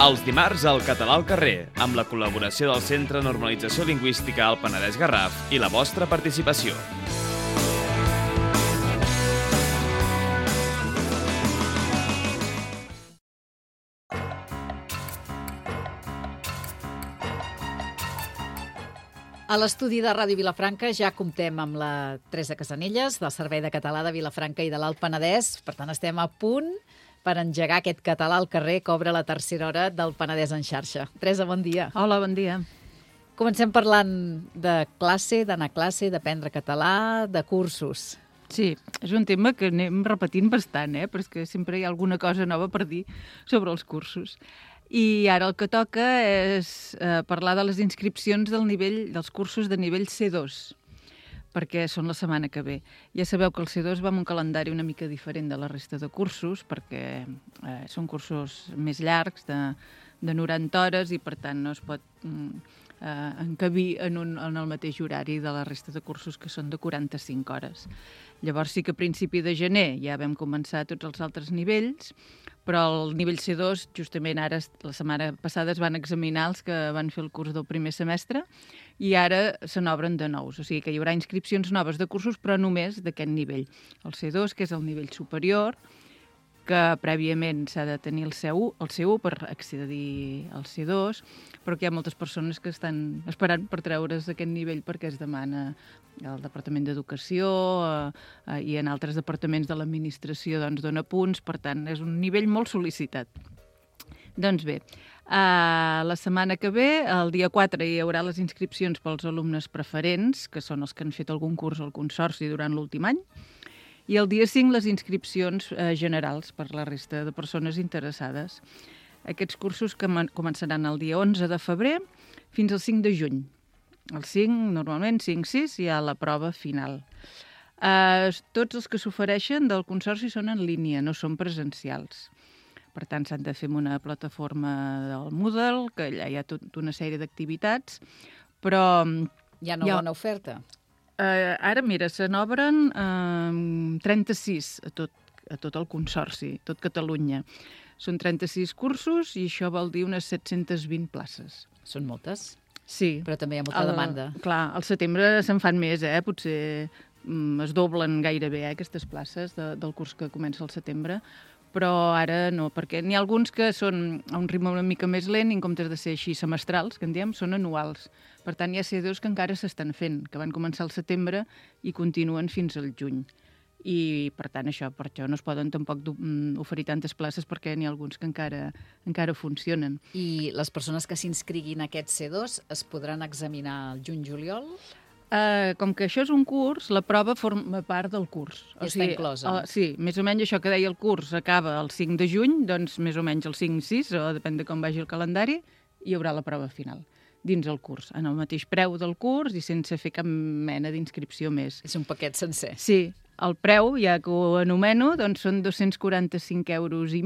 Els dimarts al Català al carrer, amb la col·laboració del Centre Normalització Lingüística al Penedès Garraf i la vostra participació. A l'estudi de Ràdio Vilafranca ja comptem amb la Teresa Casanelles, del Servei de Català de Vilafranca i de l'Alt Penedès. Per tant, estem a punt per engegar aquest català al carrer que obre la tercera hora del Penedès en xarxa. Teresa, bon dia. Hola, bon dia. Comencem parlant de classe, d'anar a classe, d'aprendre català, de cursos. Sí, és un tema que anem repetint bastant, però és que sempre hi ha alguna cosa nova per dir sobre els cursos. I ara el que toca és parlar de les inscripcions dels cursos de nivell C2, perquè són la setmana que ve. Ja sabeu que el C2 va amb un calendari una mica diferent de la resta de cursos, perquè són cursos més llargs, de 90 hores, i per tant no es pot encabir en el mateix horari de la resta de cursos, que són de 45 hores. Llavors sí que a principi de gener ja vam començar tots els altres nivells, però el nivell C2, justament ara, la setmana passada, es van examinar els que van fer el curs del primer semestre i ara se n'obren de nous. O sigui que hi haurà inscripcions noves de cursos, però només d'aquest nivell. El C2, que és el nivell superior, que prèviament s'ha de tenir el C1 per accedir al C2, però que hi ha moltes persones que estan esperant per treure's aquest nivell perquè es demana al Departament d'Educació i en altres departaments de l'administració dona punts, per tant és un nivell molt sol·licitat. Doncs bé, la setmana que ve, el dia 4, hi haurà les inscripcions pels alumnes preferents, que són els que han fet algun curs al Consorci durant l'últim any, i el dia 5 les inscripcions generals per la resta de persones interessades. Aquests cursos que començaran el dia 11 de febrer fins al 5 de juny. El 5, normalment, 5-6, hi ha la prova final. Tots els que s'ofereixen del Consorci són en línia, no són presencials. Per tant, s'han de fer amb una plataforma del Moodle, que allà hi ha tota una sèrie d'activitats, però... Hi ha una bona oferta. Ara, mira, se n'obren 36 a tot el Consorci, tot Catalunya. Són 36 cursos i això vol dir unes 720 places. Són moltes? Sí. Però també hi ha molta demanda. Clar, al setembre se'n fan més, potser es doblen gairebé aquestes places del curs que comença al setembre, però ara no, perquè n'hi ha alguns que són a un ritme una mica més lent i en comptes de ser així semestrals, que en diem, són anuals. Per tant, hi ha C2 que encara s'estan fent, que van començar al setembre i continuen fins al juny. I, per tant, per això no es poden tampoc oferir tantes places perquè n'hi ha alguns que encara funcionen. I les persones que s'inscriguin a aquest C2 es podran examinar al juny-juliol? Com que això és un curs, la prova forma part del curs. Està inclosa. Sí, més o menys això que deia el curs acaba el 5 de juny, doncs més o menys el 5-6, o depèn de com vagi el calendari, hi haurà la prova final dins el curs, en el mateix preu del curs i sense fer cap mena d'inscripció més. És un paquet sencer. Sí, el preu, ja que ho anomeno, doncs són 245,5 euros, i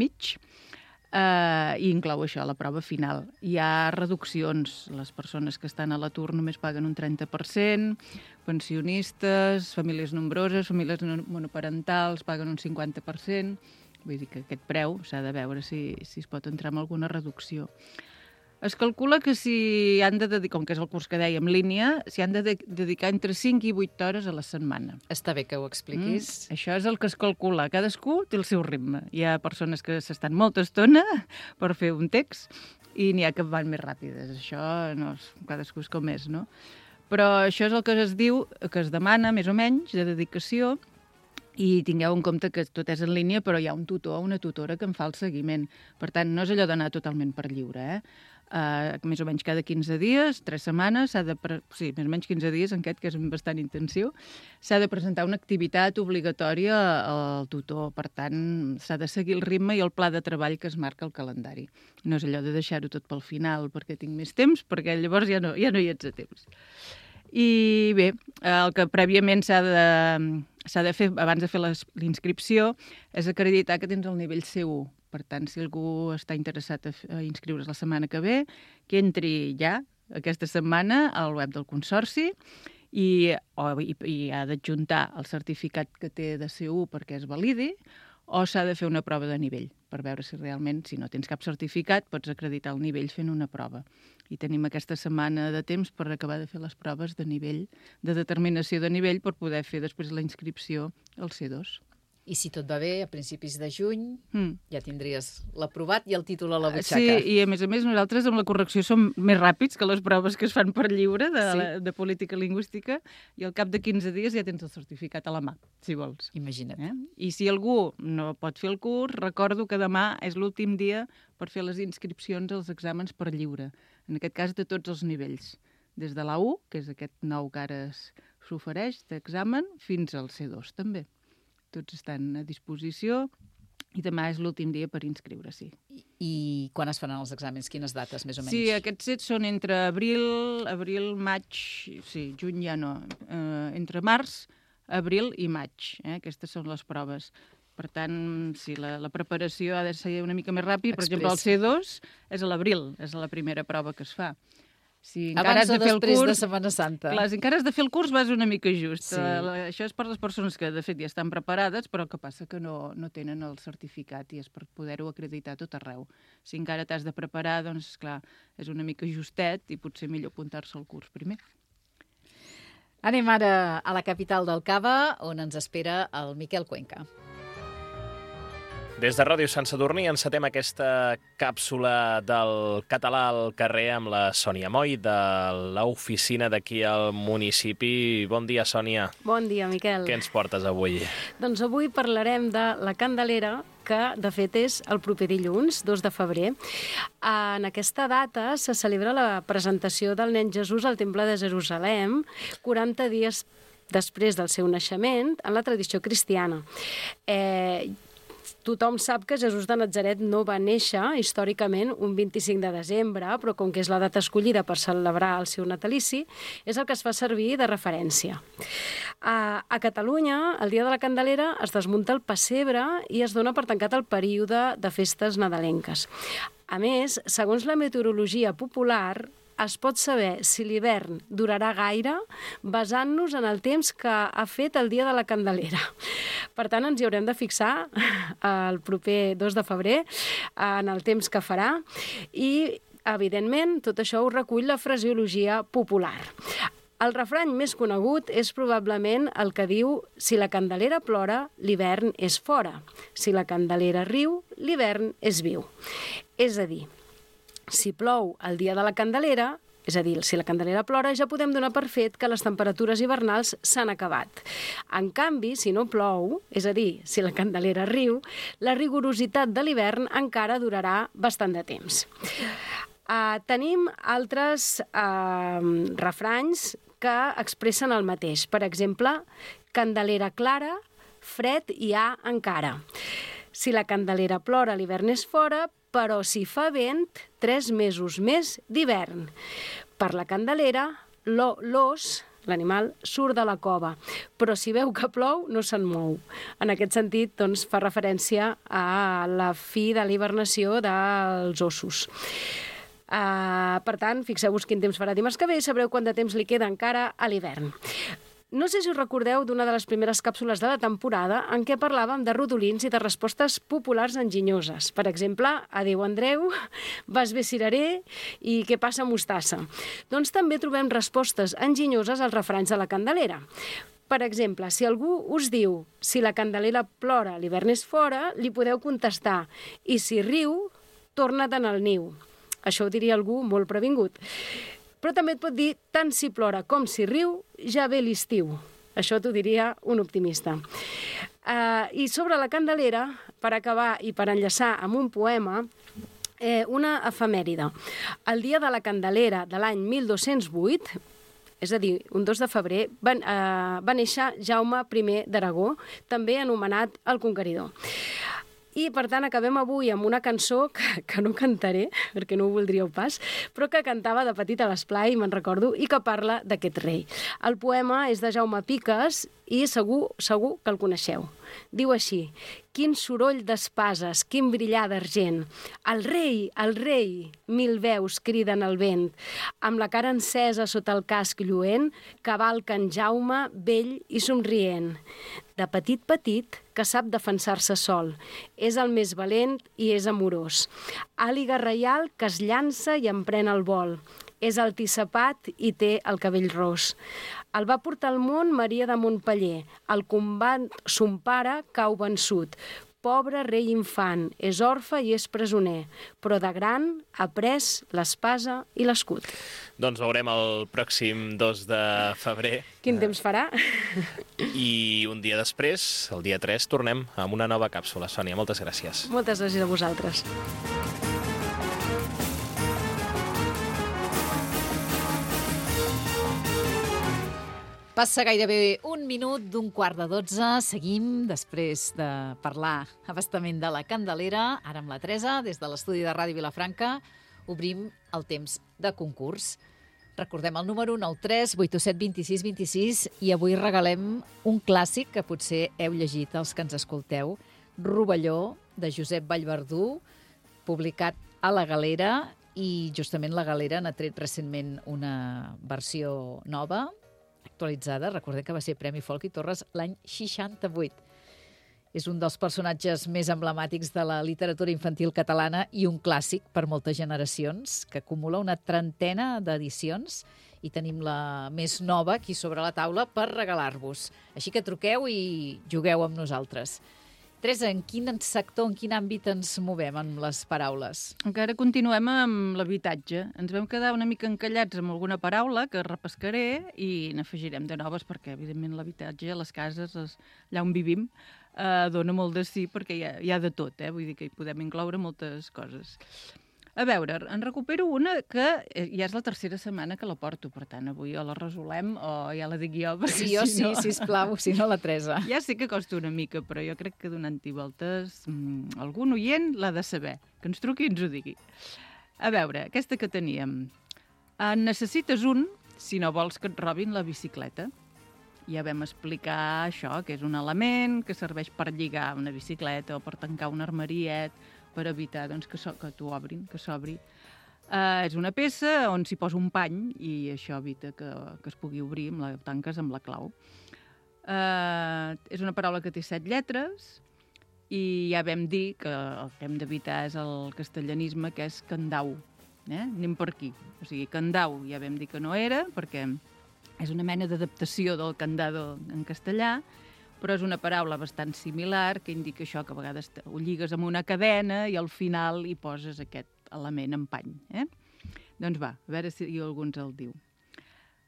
inclou això, la prova final. Hi ha reduccions. Les persones que estan a l'atur només paguen un 30%, pensionistes, famílies nombroses, famílies monoparentals paguen un 50%. Vull dir que aquest preu s'ha de veure si es pot entrar en alguna reducció. Es calcula que si han de dedicar, com que és el curs que dèiem, línia, s'hi han de dedicar entre 5 i 8 hores a la setmana. Està bé que ho expliquis. Això és el que es calcula. Cadascú té el seu ritme. Hi ha persones que s'estan molta estona per fer un text i n'hi ha que van més ràpides. Això no és, cadascú és com és, no? Però això és el que es diu, que es demana, més o menys, de dedicació, i tingueu en compte que tot és en línia, però hi ha un tutor o una tutora que en fa el seguiment. Per tant, no és allò d'anar totalment per lliure, més o menys cada 15 dies, 3 setmanes, més o menys 15 dies, en aquest, que és bastant intensiu, s'ha de presentar una activitat obligatòria al tutor. Per tant, s'ha de seguir el ritme i el pla de treball que es marca al calendari. No és allò de deixar-ho tot pel final perquè tinc més temps, perquè llavors ja no hi ets a temps. I bé, el que prèviament s'ha de fer, abans de fer l'inscripció, és acreditar que tens el nivell C1. Per tant, si algú està interessat a inscriure's la setmana que ve, que entri ja aquesta setmana al web del Consorci i ha d'adjuntar el certificat que té de C1 perquè es validi, o s'ha de fer una prova de nivell, per veure si realment, si no tens cap certificat, pots acreditar el nivell fent una prova. I tenim aquesta setmana de temps per acabar de fer les proves de nivell, de determinació de nivell, per poder fer després la inscripció al C2. I si tot va bé, a principis de juny ja tindries l'aprovat i el títol a la butxaca. Sí, i a més nosaltres amb la correcció som més ràpids que les proves que es fan per lliure de política lingüística, i al cap de 15 dies ja tens el certificat a la mà, si vols. Imagina't. I si algú no pot fer el curs, recordo que demà és l'últim dia per fer les inscripcions als exàmens per lliure, en aquest cas de tots els nivells, des de la U, que és aquest nou que ara s'ofereix d'examen, fins al C2 també. Tots estan a disposició i demà és l'últim dia per inscriure, sí. I quan es faran els exàmens? Quines dates, més o menys? Sí, aquests sets són entre abril, maig, sí, juny ja no, entre març, abril i maig. Aquestes són les proves. Per tant, sí, la preparació ha de ser una mica més ràpida. Per exemple, el C2 és a l'abril, és la primera prova que es fa. Si abans o després de Setmana Santa. Clar, si encara has de fer el curs vas una mica just. Sí. Això és per les persones que, de fet, ja estan preparades, però que passa que no tenen el certificat i és per poder-ho acreditar tot arreu. Si encara t'has de preparar, doncs, clar, és una mica justet i potser millor apuntar-se al curs primer. Anem ara a la capital del Cava, on ens espera el Miquel Cuenca. Des de Ràdio Sant Sadurní encetem aquesta càpsula del català al carrer amb la Sònia Moll, de l'oficina d'aquí al municipi. Bon dia, Sònia. Bon dia, Miquel. Què ens portes avui? Doncs avui parlarem de la Candelera, que de fet és el proper dilluns, 2 de febrer. En aquesta data se celebra la presentació del nen Jesús al Temple de Jerusalem, 40 dies després del seu naixement, en la tradició cristiana. Tothom sap que Jesús de Natzaret no va néixer històricament un 25 de desembre, però com que és la data escollida per celebrar el seu natalici, és el que es fa servir de referència. A Catalunya, el dia de la Candelera, es desmunta el pessebre i es dona per tancat el període de festes nadalenques. A més, segons la meteorologia popular, es pot saber si l'hivern durarà gaire basant-nos en el temps que ha fet el dia de la Candelera. Per tant, ens hi haurem de fixar el proper 2 de febrer en el temps que farà i, evidentment, tot això ho recull la fraseologia popular. El refrany més conegut és probablement el que diu «Si la Candelera plora, l'hivern és fora. Si la Candelera riu, l'hivern és viu». És a dir, si plou el dia de la Candelera, és a dir, si la Candelera plora, ja podem donar per fet que les temperatures hivernals s'han acabat. En canvi, si no plou, és a dir, si la Candelera riu, la rigorositat de l'hivern encara durarà bastant de temps. Tenim altres refranys que expressen el mateix. Per exemple, Candelera clara, fred hi ha encara. Si la Candelera plora, l'hivern és fora, però si fa vent, 3 mesos més d'hivern. Per la Candelera, l'ós, l'animal, surt de la cova, però si veu que plou, no se'n mou. En aquest sentit, doncs, fa referència a la fi de la hibernació dels ossos. Per tant, fixeu-vos quin temps farà dimarts que ve i sabreu quant de temps li queda encara a l'hivern. No sé si us recordeu d'una de les primeres càpsules de la temporada en què parlàvem de rodolins i de respostes populars enginyoses. Per exemple, adéu Andreu, vas bé cirerer i què passa mostassa. Doncs també trobem respostes enginyoses als refranys de la Candelera. Per exemple, si algú us diu si la Candelera plora, l'hivern és fora, li podeu contestar i si riu, torna-te'n al niu. Això ho diria algú molt previngut. Però també et pot dir, tant si plora com si riu, ja ve l'estiu. Això t'ho diria un optimista. I sobre la Candelera, per acabar i per enllaçar amb un poema, una efemèride. El dia de la Candelera de l'any 1208, és a dir, un 2 de febrer, va néixer Jaume I d'Aragó, també anomenat el Conqueridor. I, per tant, acabem avui amb una cançó que no cantaré, perquè no ho voldríeu pas, però que cantava de petit a l'esplai, me'n recordo, i que parla d'aquest rei. El poema és de Jaume Piques i segur que el coneixeu. Diu així: Quin soroll d'espases, quin brillar d'argent. El rei, mil veus criden al vent. Amb la cara encesa sota el casc lluent, cavalca en Jaume, vell i somrient. De petit, que sap defensar-se sol. És el més valent i és amorós. Àliga reial que es llança i emprèn el vol. És altissapat i té el cabell ros. El va portar al món Maria de Montpeller. Al combat son pare cau vençut. Pobre rei infant, és orfe i és presoner, però de gran ha pres l'espasa i l'escut. Doncs veurem el pròxim 2 de febrer. Quin temps farà? I un dia després, el dia 3, tornem amb una nova càpsula. Sònia, moltes gràcies. Moltes gràcies a vosaltres. Passa gairebé un minut d'un 11:15. Seguim després de parlar abastament de la Candelera. Ara amb la Teresa, des de l'estudi de Ràdio Vilafranca, obrim el temps de concurs. Recordem el número 93 87 26 26 i avui regalem un clàssic que potser heu llegit els que ens escolteu, Rovelló, de Josep Vallverdú, publicat a La Galera, i justament La Galera n'ha tret recentment una versió nova, actualitzada. Recordem que va ser Premi Folk i Torres l'any 68. És un dels personatges més emblemàtics de la literatura infantil catalana i un clàssic per moltes generacions, que acumula una trentena d'edicions i tenim la més nova aquí sobre la taula per regalar-vos. Així que truqueu i jugueu amb nosaltres. Teresa, en quin sector, en quin àmbit ens movem amb les paraules? Encara continuem amb l'habitatge. Ens vam quedar una mica encallats amb alguna paraula que repescaré i n'afegirem de noves perquè, evidentment, l'habitatge, les cases, allà on vivim, dona molt de sí perquè hi ha de tot, vull dir que hi podem incloure moltes coses. A veure, en recupero una que ja és la tercera setmana que la porto, per tant, avui o la resolem o ja la dic jo. Sí, jo sí, sisplau, si no la Teresa. Ja sé que costa una mica, però jo crec que donant-hi voltes algun oient l'ha de saber, que ens truqui i ens ho digui. A veure, aquesta que teníem. En necessites un si no vols que et robin la bicicleta. Ja vam explicar això, que és un element que serveix per lligar una bicicleta o per tancar un armariet, per evitar doncs, que t'ho obrin, que s'obri. És una peça on s'hi posa un pany i això evita que es pugui obrir, tanques amb la clau. És una paraula que té 7 lletres i ja vam dir que el que hem d'evitar és el castellanisme, que és candau. Anem per aquí. O sigui, candau ja vam dir que no era, perquè és una mena d'adaptació del candado en castellà, però és una paraula bastant similar que indica això, que a vegades ho lligues amb una cadena i al final hi poses aquest element en pany. Doncs va, a veure si algú ens el diu.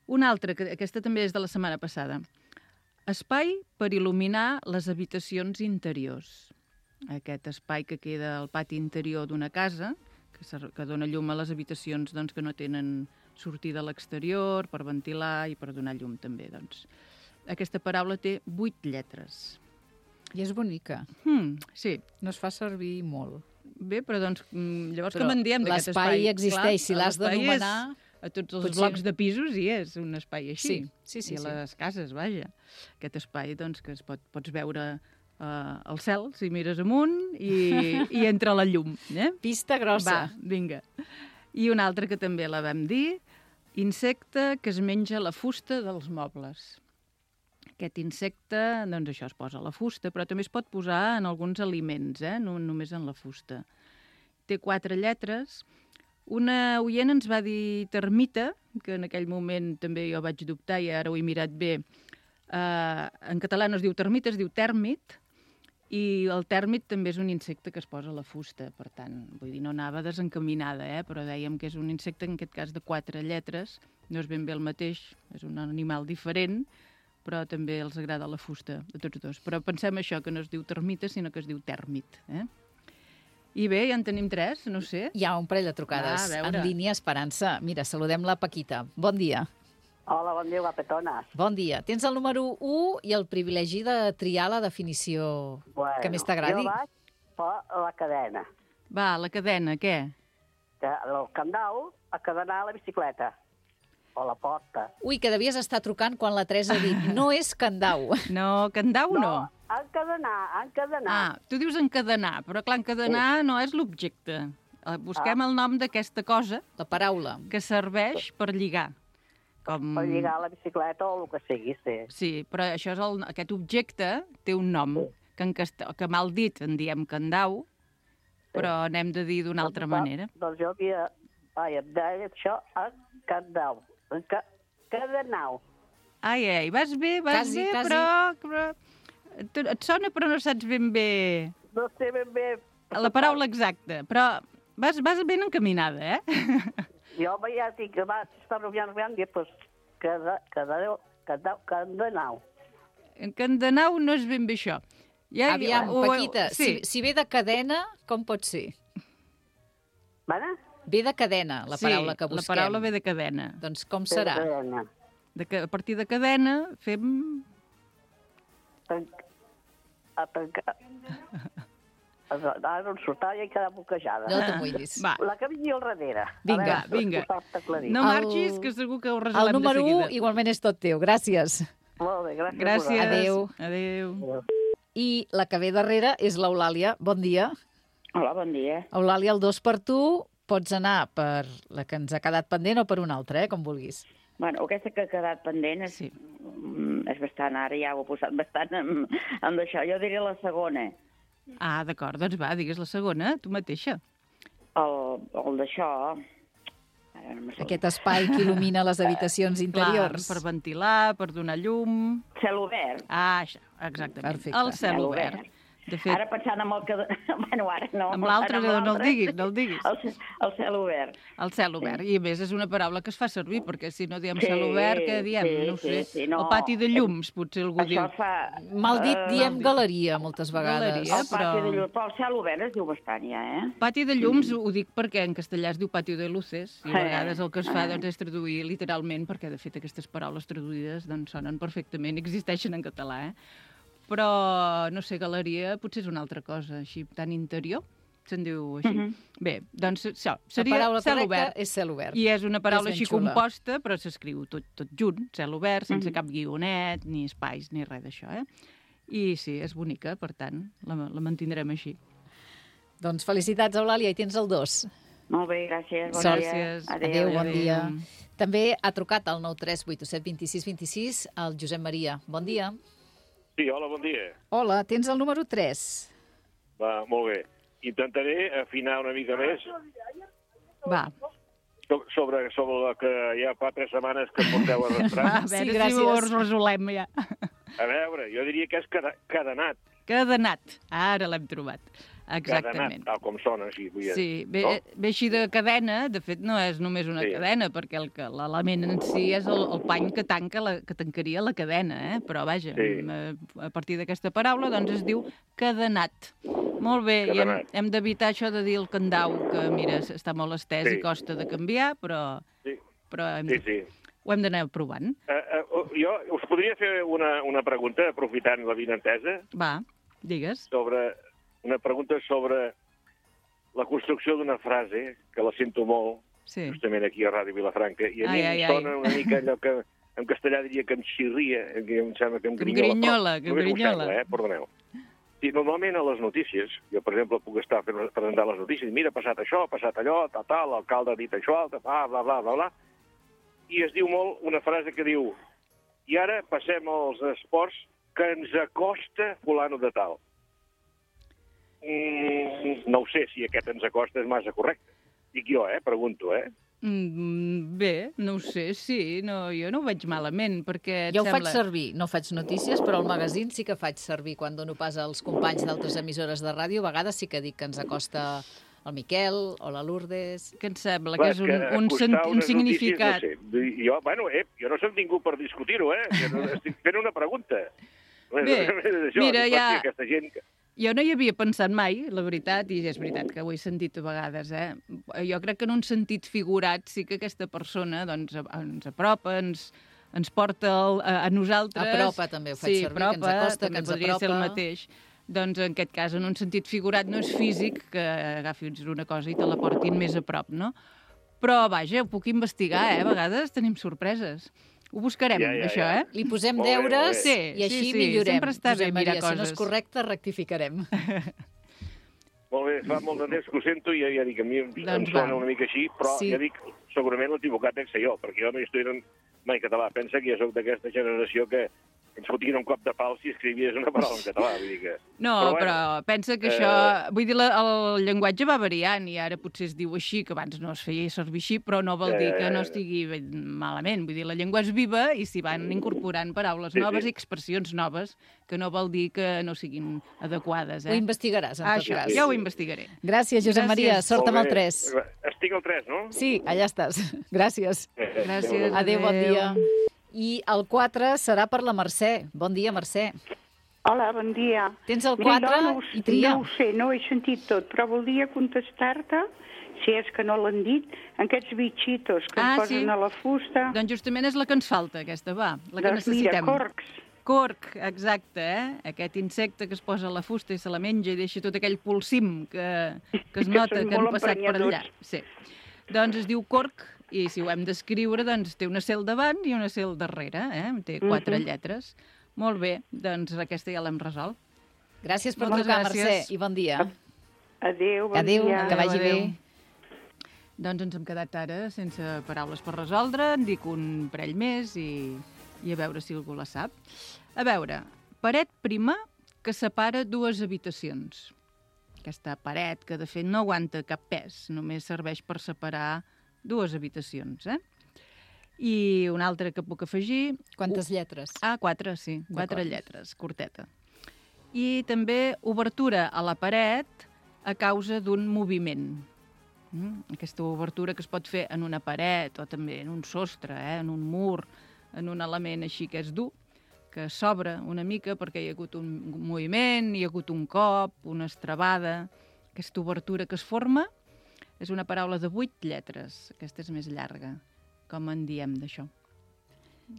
Una altra, que aquesta també és de la setmana passada. Espai per il·luminar les habitacions interiors. Aquest espai que queda al pati interior d'una casa, que dona llum a les habitacions doncs, que no tenen sortida a l'exterior, per ventilar i per donar llum també, doncs. Aquesta paraula té 8 lletres. I és bonica. Sí. No es fa servir molt. Bé, però doncs, llavors com en diem d'aquest espai? L'espai existeix, si l'has d'anomenar... A tots els blocs de pisos hi és un espai així. Sí. I a les cases, vaja. Aquest espai, doncs, que pots veure al cel, si mires amunt, i entra la llum. Pista grossa. Va, vinga. I una altra que també la vam dir, insecte que es menja la fusta dels mobles. Aquest insecte, doncs això, es posa a la fusta, però també es pot posar en alguns aliments, no només en la fusta. Té 4 lletres. Una oient ens va dir termita, que en aquell moment també jo vaig dubtar i ara ho he mirat bé. En català no es diu termita, es diu tèrmit, i el tèrmit també és un insecte que es posa a la fusta, per tant, vull dir, no anava desencaminada, però dèiem que és un insecte, en aquest cas, de 4 lletres, no és ben bé el mateix, és un animal diferent, però també els agrada la fusta, a tots dos. Però pensem això, que no es diu termita, sinó que es diu tèrmit. I bé, ja en tenim 3, no sé. Hi ha un parell de trucades en línia, Esperança. Mira, saludem la Paquita. Bon dia. Hola, bon dia, guapetones. Bon dia. Tens el número 1 i el privilegi de triar la definició que més t'agradi. Jo vaig per la cadena. Va, la cadena, què? El candau a cadenar la bicicleta. O la porta. Ui, que devies estar trucant quan la Teresa ha dit no és candau. No, candau no. encadenar. Ah, tu dius encadenar, però clar, encadenar no és l'objecte. Busquem el nom d'aquesta cosa La paraula. que serveix per lligar. Per lligar la bicicleta o el que sigui, sí. Sí, però això és aquest objecte té un nom, que mal dit en diem candau, però n'hem de dir d'una altra manera. Doncs jo havia... Ai, em deia això encadau. Encadenau. Ai, vas bé, Quasi. però... Et sona però no saps ben bé No sé ben bé... la paraula exacta, però vas ben encaminada, eh? Jo ja dic que va estar noviant, doncs encadenau. Encadenau no és ben bé això. Aviam, Paquita, sí. si ve de cadena, com pot ser? Vale? Ve de cadena, la paraula que busquem. La paraula ve de cadena. Doncs com serà? A partir de cadena fem... Ara no em surt, ja he quedat bloquejada. Ah. No t'amoïnis. Va, La que vingui al darrere. Vinga, vinga. No El- marxis, que segur que ho El resolem de número seguida. 1 igualment és tot teu. Gràcies. Molt bé, gràcies. Gràcies. Adéu. Adéu. I la que ve darrere és l'Eulàlia. Bon dia. Hola, bon dia. Eulàlia, el 2 per tu. Pots anar per la que ens ha quedat pendent o per una altra, com vulguis. Bueno, aquesta que ha quedat pendent és, Sí. és bastant, ara ja ho he posat bastant amb això. Jo diré la segona, Ah, d'acord, doncs va, digues la segona, tu mateixa. el d'això... Ara no me surt. Aquest espai que il·lumina les habitacions interiors. Clar, per ventilar, per donar llum... Cel obert. Ah, això, exactament. Perfecte. El cel obert. De fet, Ara pensant amb el que... Bueno, ara no. amb l'altre Ara no el diguis, no el diguis. El cel obert. El cel obert. I a més és una paraula que es fa servir, perquè si no diem Sí, cel obert, què diem? sí, No ho sé. sí, no. El pati de llums, potser algú diu. Això fa... Mal dit, diem galeria, moltes vegades. Galeria. El pati de llum. Però el cel obert es diu bastant, ja, eh? Pati de llums ho dic perquè en castellà es diu patio de luces i a Sí. vegades el que es fa doncs, és traduir literalment, perquè de fet aquestes paraules traduïdes doncs, sonen perfectament, existeixen en català, però, no sé, galeria potser és una altra cosa, així tan interior, se'n diu així. Bé, doncs això, La seria paraula cel correcta obert. és cel obert. I és una paraula És ben així xula. composta, però s'escriu tot junt, cel obert, sense cap guionet, ni espais, ni res d'això, I sí, és bonica, per tant, la mantindrem així. Doncs felicitats, Eulàlia, i tens el 2. Molt bé, gràcies. Bon Gràcies. dia. Adéu, bon adéu. dia. També ha trucat al 93887 26 26 el Josep Maria. Bon dia. Sí, hola, bon dia. Hola, tens el número 3. Va, molt bé. Intentaré afinar una mica més Va, sobre la que ja fa 3 setmanes que porteu va, arrastrant. a veure si gràcies. ho resolem ja. A veure, jo diria que és cadenat. Cadenat. Ara l'hem trobat. Exactament. Cadenat, tal com sona, així. Vull dir. Sí, ve així de cadena, de fet no és només una Sí. cadena, perquè l'element en si és el pany que tancaria la cadena, però vaja, Sí. a partir d'aquesta paraula doncs es diu cadenat. Molt bé, Cadenat. i hem d'evitar això de dir el candau, que mira, està molt estès Sí. i costa de canviar, però Sí, hem sí. ho hem d'anar provant. Jo us podria fer una pregunta, aprofitant la vinentesa, Va, digues. una pregunta sobre la construcció d'una frase, que la sento molt, Sí. justament aquí a Ràdio Vilafranca, i a mi Ai, em sona una mica allò que en castellà diria que em xirria, que em sembla que em Que em grinyola. grinyola, que em Només m'ho grinyola. sembla, perdoneu. Sí, normalment a les notícies, jo, per exemple, puc estar presentant les notícies, mira, ha passat això, ha passat allò, tal, l'alcalde ha dit això, bla, bla, bla, bla, bla, i es diu molt una frase que diu i ara passem als esports que ens acosta fulano de tal. No ho sé si aquest ens acosta és massa correcte. Dic jo, pregunto, Bé, no ho sé, sí, no, jo no ho veig malament, perquè Jo ho faig sembla... servir, no faig notícies, però al magazín sí que faig servir quan dono pas als companys d'altres emissores de ràdio. A vegades sí que dic que ens acosta el Miquel o la Lourdes. Que em sembla Clar, que és un significat. Notícies, no sé. Jo no soc ningú per discutir-ho, que no, estic fent una pregunta. Bé, mira, ja... Aquesta gent... Jo no hi havia pensat mai, la veritat, i és veritat que ho he sentit a vegades, Jo crec que en un sentit figurat sí que aquesta persona doncs, ens apropa, ens porta a nosaltres... Apropa també ho faig servir, que ens acosta, que ens podria ser el apropa. mateix. Doncs en aquest cas, en un sentit figurat, no és físic que agafis una cosa i te la portin més a prop, no? Però, vaja, ho puc investigar, a vegades tenim sorpreses. Ho buscarem, això, eh? Li posem Molt bé, deures molt bé. i així Sí, millorem. sempre està bé Josep mirar Maria, si no coses. és correcte, rectificarem. Molt bé, fa molt de temps que ho sento i ja dic, a mi em Doncs sona va. una mica així, però Sí. ja dic, segurament l'equivocat dec ser jo, perquè jo no hi estudiat mai català. Pensa que jo sóc d'aquesta generació que ens fotien un cop de pal si escrivies una paraula en català. Vull dir que... No, bueno, però pensa que això... Vull dir, el llenguatge va variant i ara potser es diu així, que abans no es feia servir així, però no vol dir que no estigui malament. Vull dir, la llengua és viva i s'hi van incorporant paraules noves i expressions noves, que no vol dir que no siguin adequades, Ho investigaràs, en tot Això, cas. ja ho investigaré. Gràcies, Josep Maria. Sort amb el molt bé. 3. Estic al 3, no? Sí, allà estàs. Gràcies. Gràcies. Adéu, bon dia. I el 4 serà per la Mercè. Bon dia, Mercè. Hola, bon dia. Tens el Mira, 4 no, i tria. No ho sé, no ho he sentit tot, però voldria contestar-te, si és que no l'han dit, en aquests bitxitos que es posen a la fusta. Doncs justament és la que ens falta, aquesta, va, la que Doncs necessitem. mira, corcs. Corc, exacte, Aquest insecte que es posa a la fusta i se la menja i deixa tot aquell polsim que es nota són que han molt passat per allà. emprenyadors. Sí. Doncs es diu corc i si ho hem d'escriure, doncs té una cel davant i una cel darrere, Té 4 lletres. Molt bé, doncs aquesta ja l'hem resolt. Gràcies per Moltes trucar, gràcies. Mercè, i bon dia. Adéu, bon Adéu, dia. que vagi bé. Doncs ens hem quedat ara sense paraules per resoldre, en dic un parell més i a veure si algú la sap. A veure, paret prima que separa 2 habitacions. Aquesta paret que de fet no aguanta cap pes, només serveix per separar 2 habitacions, I una altra que puc afegir... Quantes lletres? 4, sí, 4 lletres, curteta. I també obertura a la paret a causa d'un moviment. Aquesta obertura que es pot fer en una paret o també en un sostre, en un mur, en un element així que és dur, que s'obre una mica perquè hi ha hagut un moviment, hi ha hagut un cop, una estrabada. Aquesta obertura que es forma és una paraula de 8 lletres. Aquesta és més llarga. Com en diem d'això?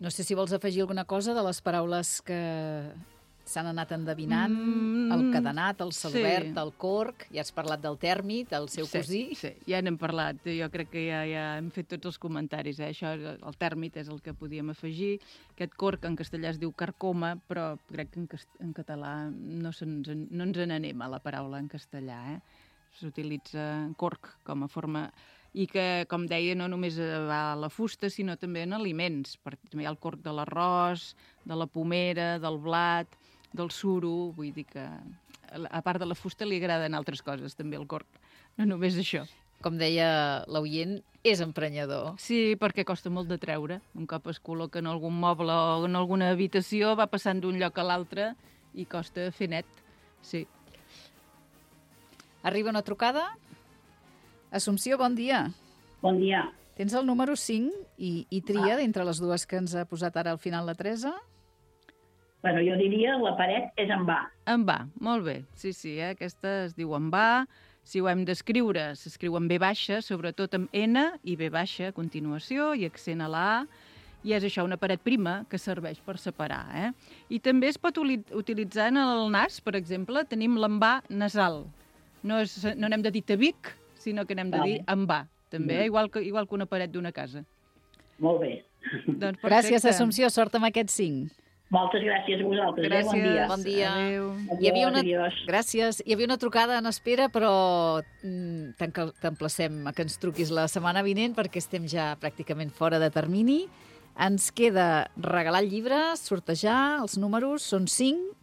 No sé si vols afegir alguna cosa de les paraules que s'han anat endevinant, el cadenat, el celobert, el corc, ja has parlat del tèrmit, el seu cosí. Sí, ja n'hem parlat, jo crec que ja hem fet tots els comentaris, Això, el tèrmit és el que podíem afegir, aquest corc en castellà es diu carcoma, però crec que en català no ens n'anem a la paraula en castellà, S'utilitza corc com a forma... I que, com deia, no només va a la fusta, sinó també en aliments. També hi ha el corc de l'arròs, de la pomera, del blat, del suro. Vull dir que, a part de la fusta, li agraden altres coses, també, el corc. No només això. Com deia l'oient, és emprenyador. Sí, perquè costa molt de treure. Un cop es col·loca en algun moble o en alguna habitació, va passant d'un lloc a l'altre i costa fer net. Sí. Arriba una trucada? Assumpció, bon dia. Bon dia. Tens el número 5 i tria d'entre les dues que ens ha posat ara al final la Teresa? Bueno, jo diria la paret és en va. En va, molt bé. Sí, aquesta es diu en va. Si ho hem d'escriure, s'escriu en B baixa, sobretot amb N i B baixa a continuació i accent a la A. I és això, una paret prima que serveix per separar. I també es pot utilitzar en el nas, per exemple, tenim l'envà nasal. No n'hem de dir tabic, sinó que n'hem de dir envà, també, igual que una paret d'una casa. Molt bé. Doncs gràcies, Assumpció, sort amb aquests 5. Moltes gràcies a vosaltres. Gràcies. Bon dia. Bon dia. Adéu. Gràcies. Hi havia una trucada en espera, però t'emplacem a que ens truquis la setmana vinent perquè estem ja pràcticament fora de termini. Ens queda regalar el llibre, sortejar, els números són 5,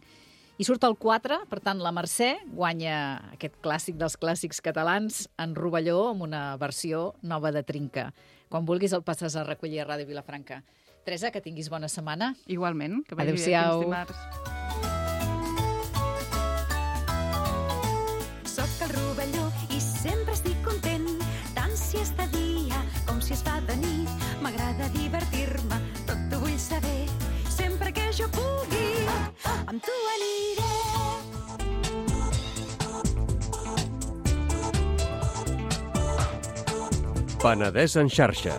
i surt el 4, per tant, la Mercè guanya aquest clàssic dels clàssics catalans en rovelló amb una versió nova de Trinca. Quan vulguis el passes a recollir a Ràdio Vilafranca. Teresa, que tinguis bona setmana. Igualment, que vagi bé Adéu-siau. fins dimarts. Soc el rovelló i sempre estic content, tant si és de dia com si es fa de nit. M'agrada divertir-me, tot ho vull saber, sempre que jo pugui, amb tu aniré. Penedès en xarxa.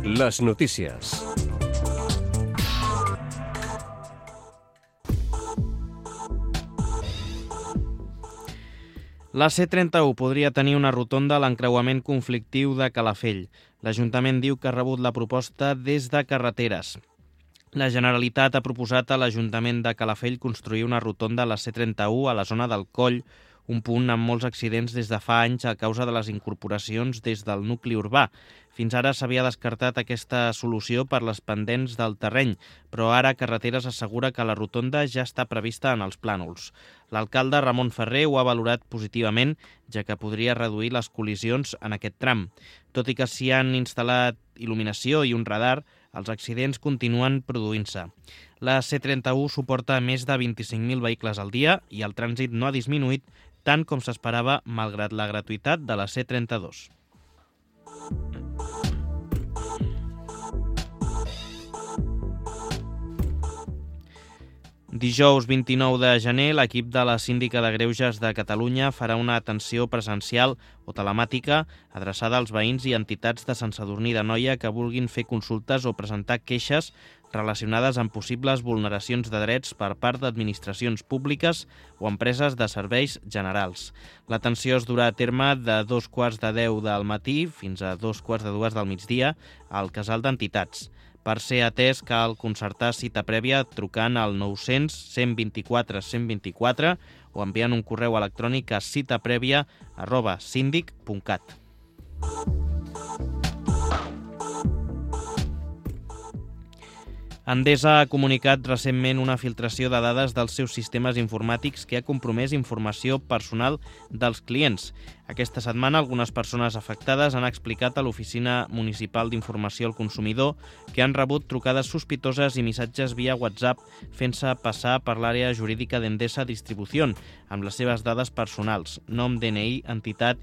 Les notícies. La C31 podria tenir una rotonda a l'encreuament conflictiu de Calafell. L'Ajuntament diu que ha rebut la proposta des de Carreteres. La Generalitat ha proposat a l'Ajuntament de Calafell construir una rotonda a la C31 a la zona del Coll, un punt amb molts accidents des de fa anys a causa de les incorporacions des del nucli urbà. Fins ara s'havia descartat aquesta solució per les pendents del terreny, però ara Carreteres assegura que la rotonda ja està prevista en els plànols. L'alcalde Ramon Ferrer ho ha valorat positivament, ja que podria reduir les col·lisions en aquest tram. Tot i que s'hi han instal·lat il·luminació i un radar, els accidents continuen produint-se. La C31 suporta més de 25.000 vehicles al dia i el trànsit no ha disminuït tant com s'esperava malgrat la gratuïtat de la C32. Dijous 29 de gener, l'equip de la Síndica de Greuges de Catalunya farà una atenció presencial o telemàtica adreçada als veïns i entitats de Sant Sadurní d'Anoia que vulguin fer consultes o presentar queixes relacionades amb possibles vulneracions de drets per part d'administracions públiques o empreses de serveis generals. L'atenció es durà a terme de 2:45 del matí fins a 2:45 del migdia al casal d'entitats. Per ser atès cal concertar cita prèvia trucant al 900 124 124 o enviant un correu electrònic a citaprèvia@sindic.cat. Endesa ha comunicat recentment una filtració de dades dels seus sistemes informàtics que ha compromès informació personal dels clients. Aquesta setmana, algunes persones afectades han explicat a l'Oficina Municipal d'Informació al Consumidor que han rebut trucades sospitoses i missatges via WhatsApp fent-se passar per l'àrea jurídica d'Endesa Distribución amb les seves dades personals, nom, DNI, entitat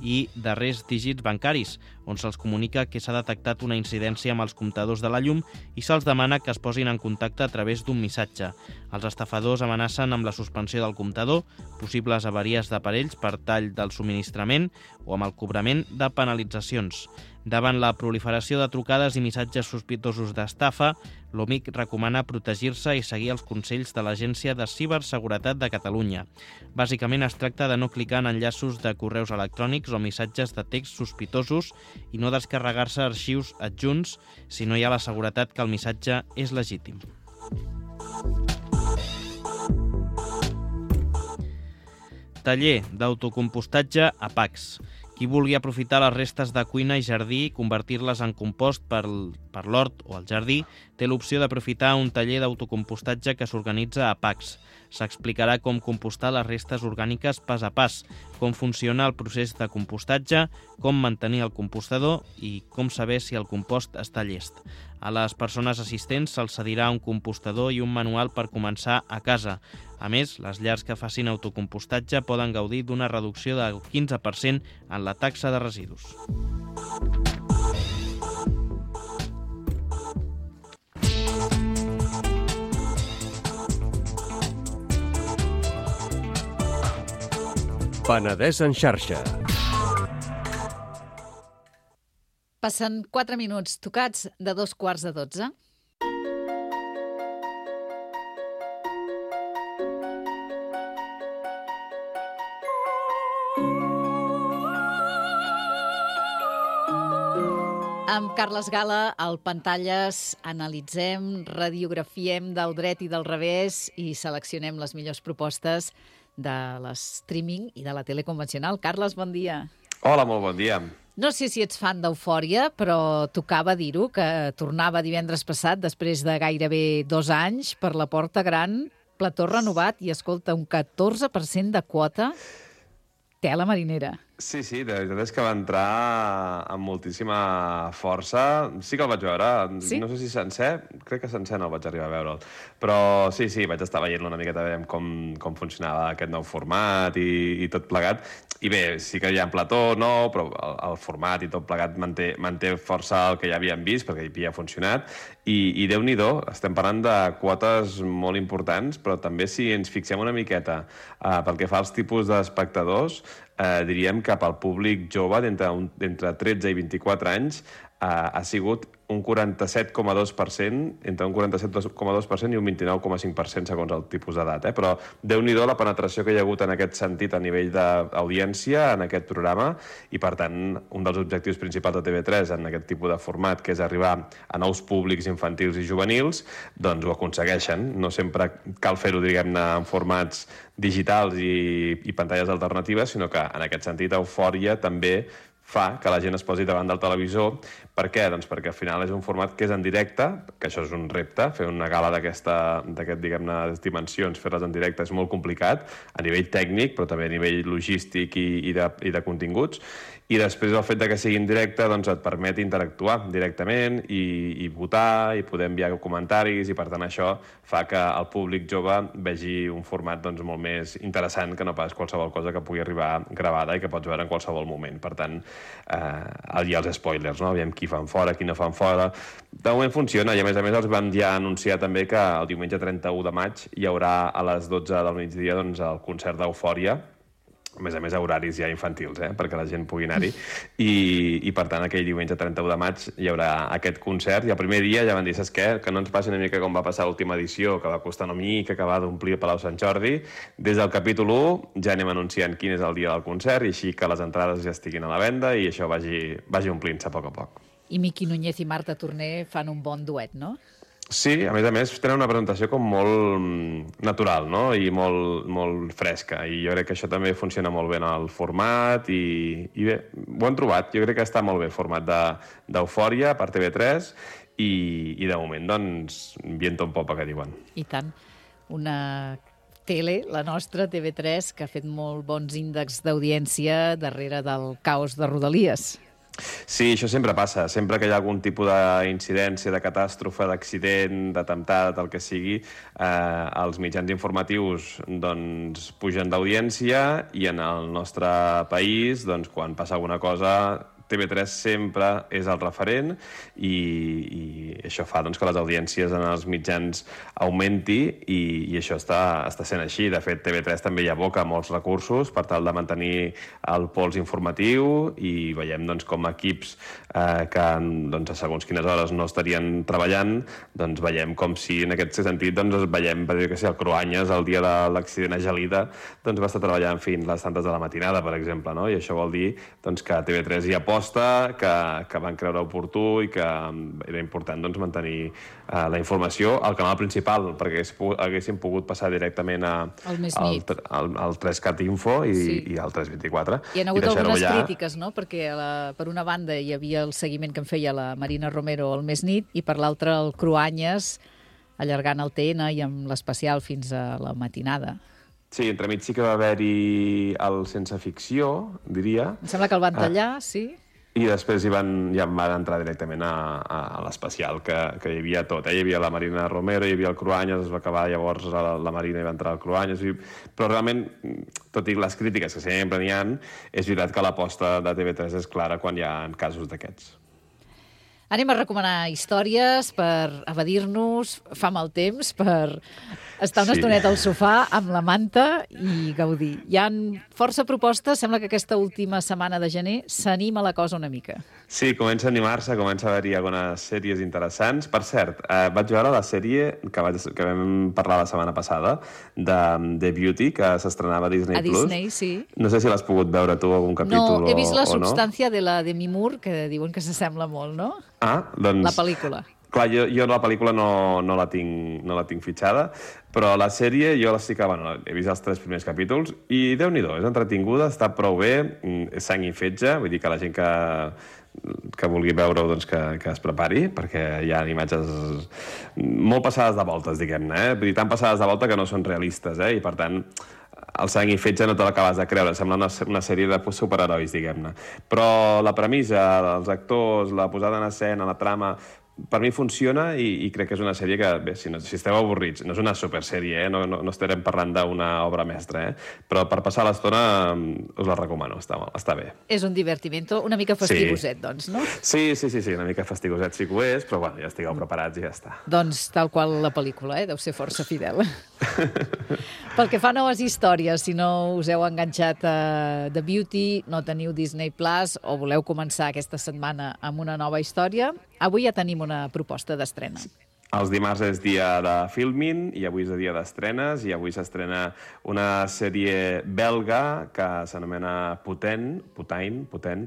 i darrers dígits bancaris, on se'ls comunica que s'ha detectat una incidència amb els comptadors de la llum i se'ls demana que es posin en contacte a través d'un missatge. Els estafadors amenacen amb la suspensió del comptador, possibles avaries d'aparells per tall del subministrament o amb el cobrament de penalitzacions. Davant la proliferació de trucades i missatges sospitosos d'estafa, l'OMIC recomana protegir-se i seguir els consells de l'Agència de Ciberseguretat de Catalunya. Bàsicament es tracta de no clicar en enllaços de correus electrònics o missatges de text sospitosos i no descarregar-se arxius adjunts si no hi ha la seguretat que el missatge és legítim. Taller d'autocompostatge a Pacs. Qui vulgui aprofitar les restes de cuina i jardí i convertir-les en compost per l'hort o el jardí, té l'opció d'aprofitar un taller d'autocompostatge que s'organitza a Pacs. S'explicarà com compostar les restes orgàniques pas a pas, com funciona el procés de compostatge, com mantenir el compostador i com saber si el compost està llest. A les persones assistents se'ls cedirà un compostador i un manual per començar a casa. A més, les llars que facin autocompostatge poden gaudir d'una reducció del 15% en la taxa de residus. Penedès en xarxa. Passen 4 minuts tocats de 11:15. Amb Carles Gala, al Pantalles, analitzem, radiografiem del dret i del revés i seleccionem les millors propostes de l'streaming i de la tele convencional. Carles, bon dia. Hola, molt bon dia. No sé si ets fan d'Eufòria, però tocava dir-ho, que tornava divendres passat, després de gairebé 2 anys, per la Porta Gran, plató renovat i, escolta, un 14% de quota. Tela marinera. Sí, la veritat és que va entrar amb moltíssima força. Sí que el vaig veure, sí? No sé si sencer, crec que sencer no el vaig arribar a veure'l. Però sí, vaig estar veient una miqueta com funcionava aquest nou format i tot plegat. I bé, sí que hi ha un plató nou, però el format i tot plegat manté força el que ja havíem vist, perquè havia funcionat. I Déu-n'hi-do, estem parlant de quotes molt importants, però també si ens fixem una miqueta pel que fa als tipus d'espectadors, diríem que pel públic jove d'entre 13 i 24 anys ha sigut un 47,2%, entre un 47,2% i un 29,5% segons el tipus d'edat. Però Déu-n'hi-do la penetració que hi ha hagut en aquest sentit a nivell d'audiència en aquest programa i, per tant, un dels objectius principals de TV3 en aquest tipus de format, que és arribar a nous públics infantils i juvenils, doncs ho aconsegueixen. No sempre cal fer-ho, diguem-ne, en formats digitals i pantalles alternatives, sinó que, en aquest sentit, Eufòria també fa que la gent es posi davant del televisor. Per què? Doncs perquè al final és un format que és en directe, que això és un repte, fer una gala d'aquest, diguem-ne, dimensions, fer-les en directe és molt complicat, a nivell tècnic, però també a nivell logístic i de continguts. I després el fet que sigui en directe doncs et permet interactuar directament i votar, i poder enviar comentaris, i per tant això fa que el públic jove vegi un format doncs, molt més interessant que no pas qualsevol cosa que pugui arribar gravada i que pots veure en qualsevol moment. Per tant, hi ha els spoilers, no? Aviam qui fan fora, qui no fan fora. De moment funciona, i a més els vam ja anunciar també que el diumenge 31 de maig hi haurà a les 12 del migdia doncs, el concert d'Eufòria, a més a horaris ja infantils, perquè la gent pugui anar-hi, i per tant aquell diumenge 31 de maig hi haurà aquest concert, i el primer dia ja van dir, saps què? Que no ens passi una mica com va passar l'última edició, que va costar una mica acabar d'omplir el Palau Sant Jordi. Des del capítol 1 ja anem anunciant quin és el dia del concert, i així que les entrades ja estiguin a la venda i això vagi omplint-se a poc a poc. I Miqui Núñez i Marta Torner fan un bon duet, no? Sí, a més tenen una presentació com molt natural, no? I molt fresca, i jo crec que això també funciona molt bé en el format, i bé, ho han trobat. Jo crec que està molt bé el format d'Eufòria per TV3, i de moment, doncs, viento en popa, que diuen. I tant. Una tele, la nostra, TV3, que ha fet molt bons índexs d'audiència darrere del caos de Rodalies. Sí, això sempre passa. Sempre que hi ha algun tipus d'incidència, de catàstrofe, d'accident, d'atemptat, el que sigui, els mitjans informatius doncs, pugen d'audiència, i en el nostre país, doncs, quan passa alguna cosa, TV3 sempre és el referent, i això fa doncs, que les audiències en els mitjans augmenti, i això està sent així. De fet, TV3 també hi aboca molts recursos per tal de mantenir el pols informatiu, i veiem doncs, com equips que doncs, a segons quines hores no estarien treballant, doncs veiem com si en aquest sentit doncs, veiem, per dir que sí, el Cruanyes, el dia de l'accident a Gelida, doncs va estar treballant fins les tantes de la matinada, per exemple, no? I això vol dir doncs, que TV3 hi aposta, que van creure oportú, i que era important doncs, mantenir la informació al canal principal, perquè haguéssim pogut passar directament al 3CAT Info i al 324. Hi ha hagut algunes crítiques, no? Perquè per una banda hi havia el seguiment que en feia la Marina Romero al Més Nit, i per l'altra el Cruanyes allargant el TN i amb l'especial fins a la matinada. Sí, entremig sí que va haver-hi el Sense Ficció, diria. Em sembla que el van tallar, sí. I després ja van entrar directament a l'especial, que hi havia tot. Hi havia la Marina Romero, hi havia el Cruanyes, es va acabar llavors la Marina i va entrar el Cruanyes. Però realment, tot i les crítiques que sempre n'hi ha, és veritat que l'aposta de TV3 és clara quan hi ha casos d'aquests. Anem a recomanar històries per evadir-nos, fa mal temps, per estar una estoneta al sofà amb la manta i gaudir. Hi ha força propostes, sembla que aquesta última setmana de gener s'anima la cosa una mica. Sí, comença a animar-se, comença a haver-hi algunes sèries interessants. Per cert, vaig veure la sèrie que vam parlar la setmana passada, de The Beauty, que s'estrenava a Disney+. A Disney, sí. No sé si l'has pogut veure tu, algun capítol o no. No, he vist la substància de la Demi Moore, que diuen que s'assembla molt, no? Doncs... La pel·lícula. Clar, jo la pel·lícula no la tinc fitxada, però la sèrie jo he vist els 3 primers capítols i Déu-n'hi-do, és entretinguda, està prou bé, és sang i fetge, vull dir que la gent que vulgui veure-ho doncs que es prepari, perquè hi ha imatges molt passades de voltes, diguem-ne, vull dir, tan passades de volta que no són realistes, i per tant el sang i fetge no te l'acabes de creure, sembla una sèrie de superherois, diguem-ne. Però la premissa, els actors, la posada en escena, la trama, per mi funciona, i crec que és una sèrie que, bé, si esteu avorrits, no és una supersèrie, no estarem parlant d'una obra mestra, però per passar l'estona us la recomano, està bé. És un divertimento, una mica fastigoset, doncs, no? Sí, una mica fastigoset sí que ho és, però bueno, ja estigueu preparats i ja està. Doncs tal qual la pel·lícula, deu ser força fidel. Pel que fa a noves històries, si no us heu enganxat a The Beauty, no teniu Disney Plus o voleu començar aquesta setmana amb una nova història, avui ja tenim una proposta d'estrena. Els dimarts és dia de Filmin i avui és dia d'estrenes i avui s'estrena una sèrie belga que s'anomena Putain,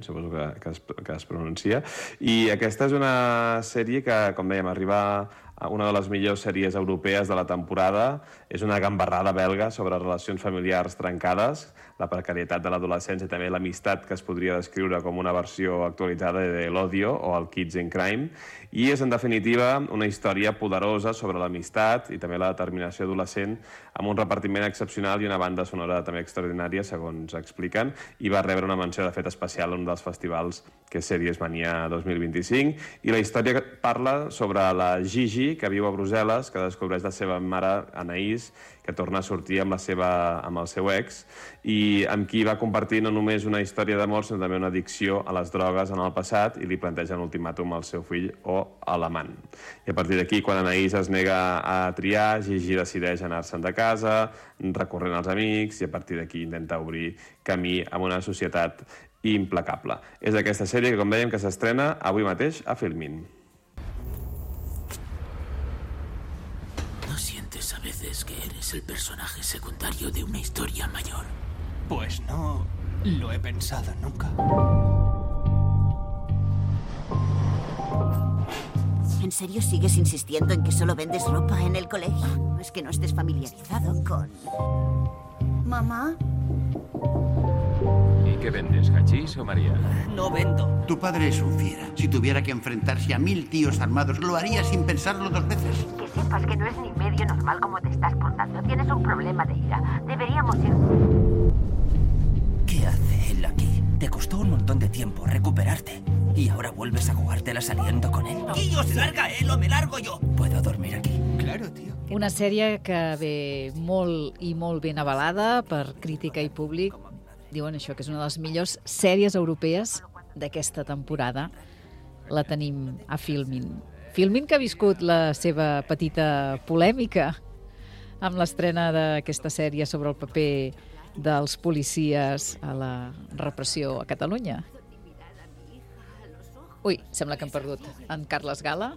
suposo que es pronuncia, i aquesta és una sèrie que, com dèiem, arriba a una de les millors sèries europees de la temporada. És una gambarrada belga sobre relacions familiars trencades, la precarietat de l'adolescència i també l'amistat que es podria descriure com una versió actualitzada de l'Odio o el Kids in Crime. I és, en definitiva, una història poderosa sobre l'amistat i també la determinació adolescent, amb un repartiment excepcional i una banda sonora també extraordinària, segons expliquen, i va rebre una menció de fet especial en un dels festivals que és Sèries Mania 2025. I la història parla sobre la Gigi, que viu a Brussel·les, que descobreix la seva mare, Anaïs, que torna a sortir amb el seu ex, i amb qui va compartir no només una història d'amor, sinó també una addicció a les drogues en el passat, i li planteja un ultimàtum al seu fill o a l'amant. I a partir d'aquí, quan Anaïs es nega a triar, Gigi decideix anar-se'n de casa, recorrent als amics, i a partir d'aquí intenta obrir camí amb una societat implacable. És aquesta sèrie que, com dèiem, que s'estrena avui mateix a Filmin. ¿No sientes a veces que eres el personaje secundario de una historia mayor? Pues no lo he pensado nunca. ¿En serio sigues insistiendo en que solo vendes ropa en el colegio? ¿No es que no estés familiarizado con... ¿Mamá? ¿Y qué vendes, hachís o María? No vendo. Tu padre es un fiera. Si tuviera que enfrentarse a 1000 tíos armados, lo haría sin pensarlo 2 veces. Que sepas que no es ni medio normal como te estás portando. Tienes un problema de ira. Deberíamos ir... ¿Qué hace él aquí? Te costó un montón de tiempo recuperarte. Y ahora vuelves a jugártela saliendo con él. ¡Tío, se larga él o me largo yo! ¿Puedo dormir aquí? Claro, tío. Una sèrie que ve molt i molt ben avalada per crítica i públic. Diuen això, que és una de les millors sèries europees d'aquesta temporada. La tenim a Filmin. Filmin, que ha viscut la seva petita polèmica amb l'estrena d'aquesta sèrie sobre el paper dels policies a la repressió a Catalunya. Ui, sembla que hem perdut en Carles Gala.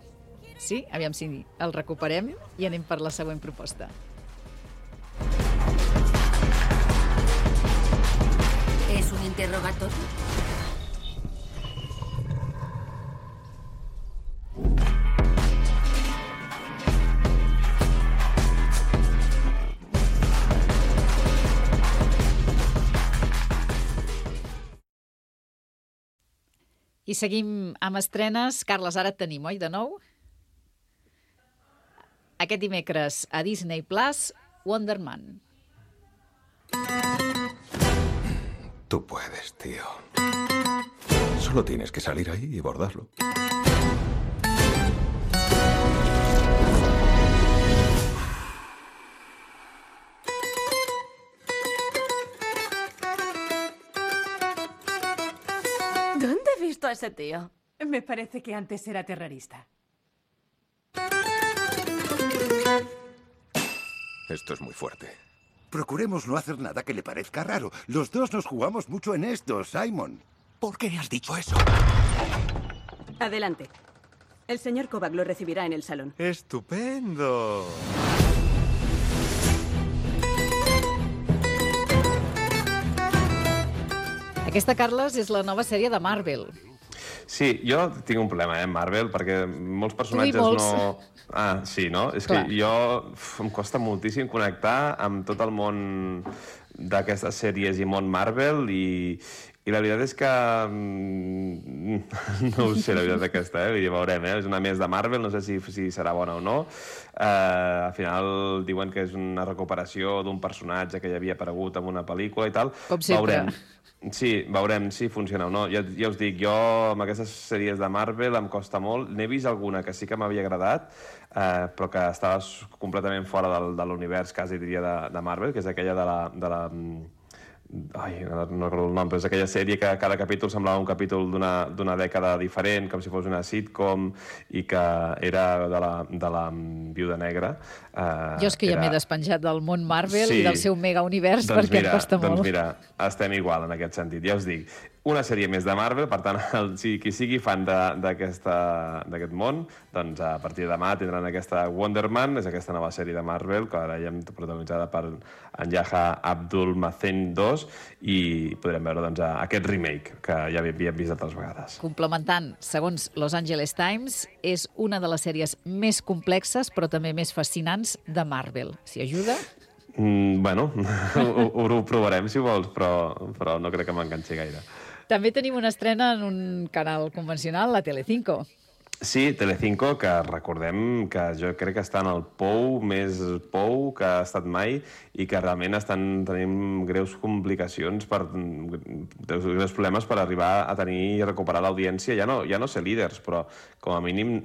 Sí? Aviam si el recuperem i anem per la següent proposta. ¿Es un interrogatorio? I seguim amb estrenes. Carles, ara et tenim, oi, de nou? Aquest dimecres a Disney Plus, Wonder Man. Tú puedes, tío. Solo tienes que salir ahí y bordarlo. ¿Dónde he visto a ese tío? Me parece que antes era terrorista. Esto es muy fuerte. Procuremos no hacer nada que le parezca raro. Los dos nos jugamos mucho en esto, Simon. ¿Por qué has dicho eso? Adelante. El señor Kovac lo recibirá en el salón. ¡Estupendo! Aquesta, Carles, és la nova sèrie de Marvel. Sí, jo tinc un problema, amb Marvel, perquè molts personatges no... Ah, sí, no? És que jo em costa moltíssim connectar amb tot el món d'aquestes sèries i món Marvel i la veritat és que no ho sé, la veritat aquesta, ja veurem, és una més de Marvel, no sé si serà bona o no. Al final diuen que és una recuperació d'un personatge que ja havia aparegut en una pel·lícula i tal. Com sempre. Sí, veurem si funciona o no. Ja us dic, jo amb aquestes sèries de Marvel em costa molt. N'he vist alguna que sí que m'havia agradat, però que estava completament fora de l'univers, quasi diria, de Marvel, que és aquella no recordo el nom, però és aquella sèrie que cada capítol semblava un capítol d'una dècada diferent, com si fos una sitcom, i que era de la Viuda Negra. Jo és que ja m'he despenjat del món Marvel i del seu mega univers perquè em costa molt. Doncs mira, estem igual en aquest sentit. Ja us dic, una sèrie més de Marvel, per tant, qui sigui fan d'aquest món, doncs a partir de demà tindran aquesta Wonder Man, és aquesta nova sèrie de Marvel, que ara ja hem protagonitzada per en Yahya Abdul-Mateen II, i podrem veure doncs, aquest remake, que ja havíem vist altres vegades. Complementant, segons Los Angeles Times, és una de les sèries més complexes, però també més fascinants de Marvel. Si ajuda... Bueno, ho provarem, si vols, però no crec que m'enganxi gaire. També tenim una estrena en un canal convencional, la Telecinco. Sí, Telecinco, que recordem que jo crec que està en el pou més pou que ha estat mai i que realment estan tenint greus complicacions, greus problemes per arribar a tenir i recuperar l'audiència. Ja no ser líders, però com a mínim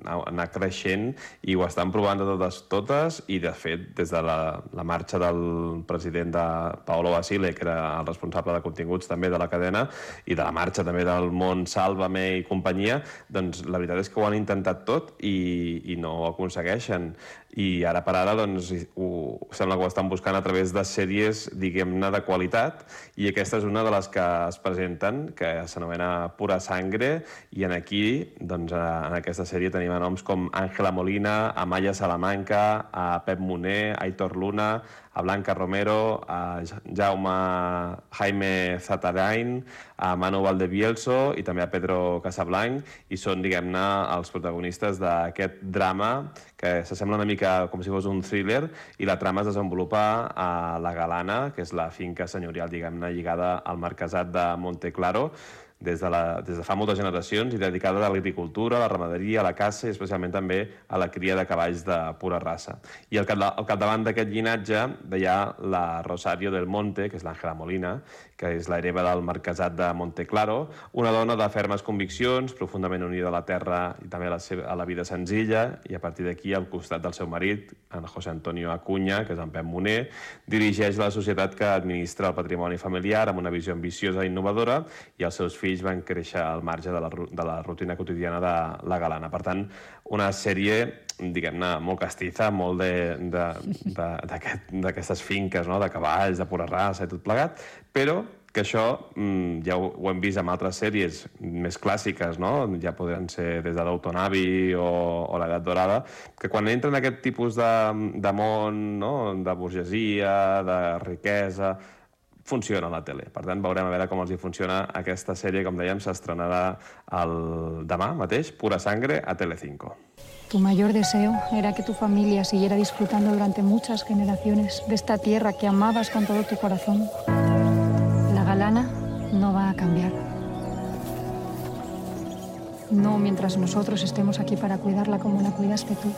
anar creixent, i ho estan provant de totes, i de fet, des de la marxa del president de Paolo Basile, que era el responsable de continguts també de la cadena, i de la marxa també del món Sálvame i companyia, doncs la veritat és que ho han intentat tot i no ho aconsegueixen. I ara per ara doncs, sembla que ho estan buscant a través de sèries, diguem-ne, de qualitat, i aquesta és una de les que es presenten, que s'anomena Pura Sangre, i aquí, doncs, en aquesta sèrie tenim noms com Ángela Molina, Amaya Salamanca, a Pep Moner, a Aitor Luna, a Blanca Romero, a Jaime Zatarain, a Manu Valdebielso i també a Pedro Casablanc, i són, diguem-ne, els protagonistes d'aquest drama que s'assembla una mica com si fos un thriller, i la trama es desenvolupa a La Galana, que és la finca senyorial, diguem-ne, lligada al marquesat de Monteclaro, des de fa moltes generacions, i dedicada a l'agricultura, a la ramaderia, a la caça i especialment també a la cria de cavalls de pura raça. I al capdavant d'aquest llinatge hi ha la Rosario del Monte, que és l'Àngela Molina, que és l'hereva del marquesat de Monteclaro, una dona de fermes conviccions, profundament unida a la terra i també a la vida senzilla, i a partir d'aquí, al costat del seu marit, en José Antonio Acuña, que és en Pep Moner, dirigeix la societat que administra el patrimoni familiar amb una visió ambiciosa i innovadora, i els seus fills van créixer al marge de la rutina quotidiana de La Galana. Per tant, una sèrie, diguem-ne, molt castiza, molt d'aquestes finques, no?, de cavalls, de pura raça i tot plegat, però que això ja ho hem vist en altres sèries més clàssiques, no?, ja podran ser des de Downton Abbey o l'Edat Dorada, que quan entren en aquest tipus de món, no?, de burgesia, de riquesa, funciona a la tele. Per tant, veurem a veure com els hi funciona aquesta sèrie. Com dèiem, s'estrenarà demà mateix, Pura Sangre, a Telecinco. Tu mayor deseo era que tu familia siguiera disfrutando durante muchas generaciones de esta tierra que amabas con todo tu corazón. La Galana no va a cambiar. No mientras nosotros estemos aquí para cuidarla como la cuidaste tú.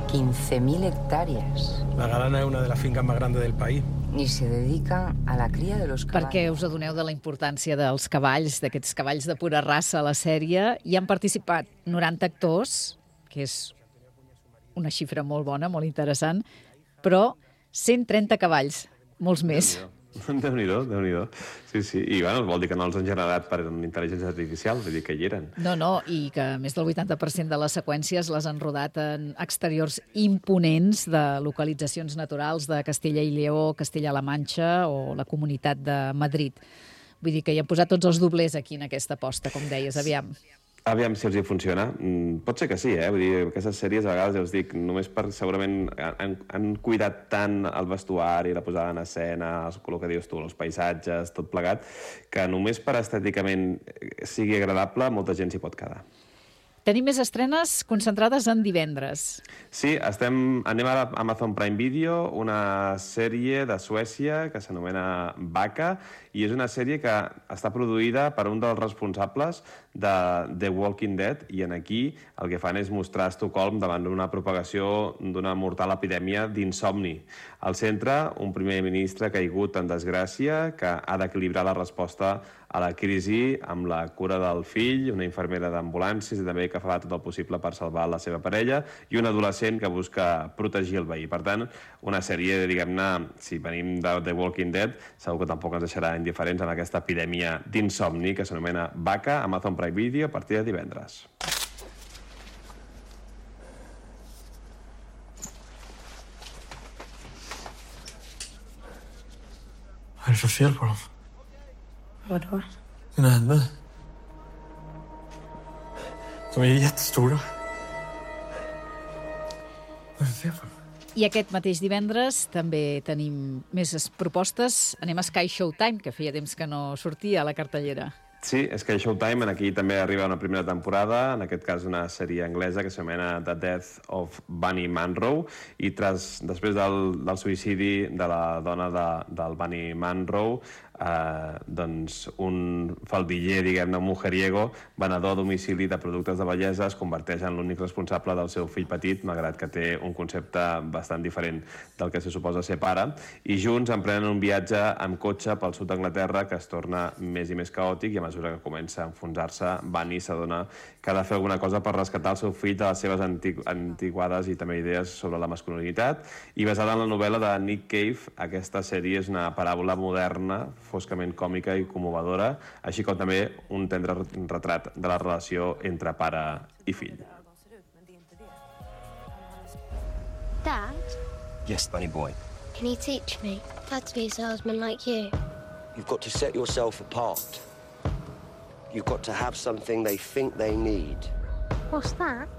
15.000 hectáreas. La Galana es una de las fincas más grandes del país. Y se dedica a la cria de los caballos. Perquè us adoneu de la importància dels cavalls, d'aquests cavalls de pura raça a la sèrie. Hi han participat 90 actors, que és una xifra molt bona, molt interessant, però 130 cavalls, molts més. Déu-n'hi-do, Déu-n'hi-do. Sí. I bueno, vol dir que no els han generat per intel·ligència artificial, vull dir que hi eren. No, i que més del 80% de les seqüències les han rodat en exteriors imponents de localitzacions naturals de Castella i Lleó, Castella-La Manxa o la Comunitat de Madrid. Vull dir que hi han posat tots els doblers aquí en aquesta aposta, com deies, aviam. Aviam si els hi funciona. Pot ser que sí, Vull dir, aquestes sèries a vegades, ja us dic, només per segurament han cuidat tant el vestuari, la posada en escena, el que dius tu, els paisatges, tot plegat, que només per estèticament sigui agradable, molta gent s'hi pot quedar. Tenim més estrenes concentrades en divendres. Sí, anem ara a Amazon Prime Video, una sèrie de Suècia que s'anomena Vaca, i és una sèrie que està produïda per un dels responsables de The Walking Dead, i aquí el que fan és mostrar Estocolm davant d'una propagació d'una mortal epidèmia d'insomni. Al centre, un primer ministre caigut en desgràcia que ha d'equilibrar la resposta a la crisi amb la cura del fill, una infermera d'ambulàncies i també que fa tot el possible per salvar la seva parella, i un adolescent que busca protegir el veí. Per tant, una sèrie, diguem-ne, si venim de The Walking Dead, segur que tampoc ens deixarà indiferents en aquesta epidèmia d'insomni que s'anomena Vaca, a Amazon Prime Video a partir de divendres. Hvad er det for fel på dem? Vadå? Dina händer. De är jättestora. Vad är det fel på dem? I aquest mateix divendres també tenim més propostes. Anem a Sky Showtime, que feia temps que no sortia a la cartellera. Sí, Sky Showtime, aquí també arriba una primera temporada, en aquest cas una sèrie anglesa que s'anomena The Death of Bunny Munro, i després del suïcidi de la dona del Bunny Munro, doncs un faldiller, diguem-ne, un mujeriego, venedor a domicili de productes de bellesa, es converteix en l'únic responsable del seu fill petit, malgrat que té un concepte bastant diferent del que se suposa ser pare, i junts emprenen un viatge amb cotxe pel sud d'Anglaterra que es torna més i més caòtic, i a mesura que comença a enfonsar-se, Bunny s'adona que ha de fer alguna cosa per rescatar el seu fill de les seves antiguades i també idees sobre la masculinitat. I basada en la novel·la de Nick Cave, aquesta sèrie és una paràbola moderna, foscament còmica i commovedora, així com també un tendre retrat de la relació entre pare i fill. Dad? Yes, Bunny boy. Can you teach me how to be a salesman like you? You've got to set yourself apart. You've got to have something they think they need. What's that?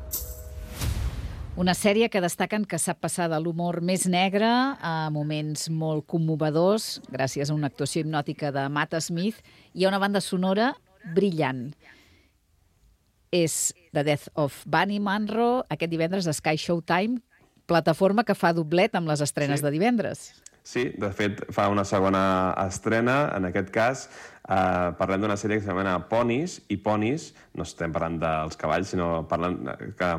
Una sèrie que destaquen que sap passar de l'humor més negre a moments molt commovedors, gràcies a una actuació hipnòtica de Matt Smith i a una banda sonora brillant. És The Death of Bunny Munro, aquest divendres a Sky Showtime, plataforma que fa doblet amb les estrenes de divendres. Sí, de fet, fa una segona estrena, en aquest cas, parlem d'una sèrie que s'anomena Ponies, i Ponies, no estem parlant dels cavalls, sinó parlant que